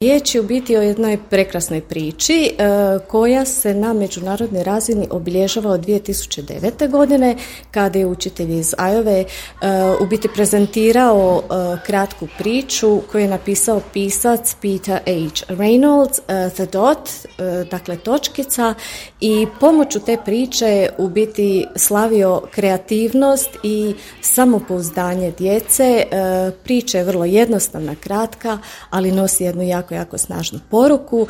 Riječ je u biti o jednoj prekrasnoj priči koja se na međunarodnoj razini obilježava od 2009. godine kada je učitelj iz Iowa u biti prezentirao kratku priču koju je napisao pisac Peter H. Reynolds, The Dot, dakle točkica, i pomoću te priče u biti slavio kreativnost i samopouzdanje djece. Priča je vrlo jednostavna, kratka, ali nosi jednu jako snažnu poruku.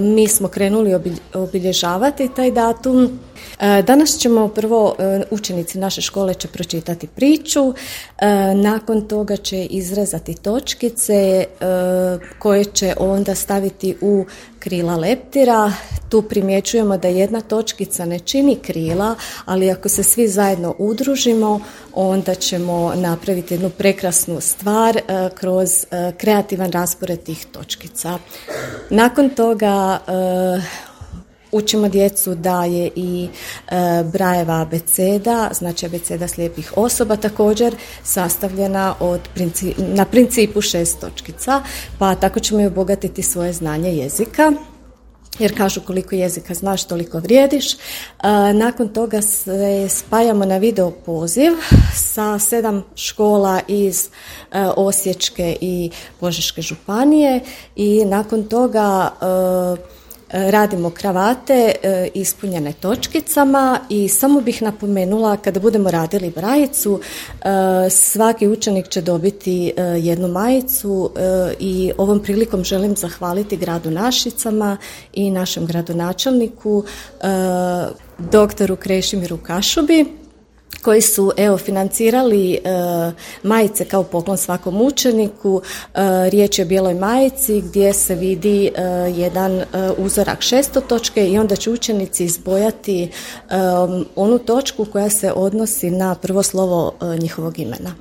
Mi smo krenuli obilježavati taj datum. Danas ćemo prvo, učenici naše škole će pročitati priču, nakon toga će izrezati točkice koje će onda staviti u krila leptira. Tu primjećujemo da jedna točkica ne čini krila, ali ako se svi zajedno udružimo, onda ćemo napraviti jednu prekrasnu stvar kroz kreativan raspored tih točkica. Nakon toga učimo djecu da je i Brailleva abeceda, znači abeceda slijepih osoba, također sastavljena na principu 6 točkica, pa tako ćemo i obogatiti svoje znanje jezika. Jer kažu koliko jezika znaš, toliko vrijediš. Nakon toga se spajamo na video poziv sa 7 škola iz Osječke i Požeške županije i nakon toga radimo kravate ispunjene točkicama i samo bih napomenula, kada budemo radili brajicu, svaki učenik će dobiti jednu majicu i ovom prilikom želim zahvaliti gradu Našicama i našem gradonačelniku doktoru Krešimiru Kašubi, koji su financirali majice kao poklon svakom učeniku. Riječ je o bijeloj majici gdje se vidi jedan uzorak šestotočke i onda će učenici izbojati onu točku koja se odnosi na prvo slovo njihovog imena.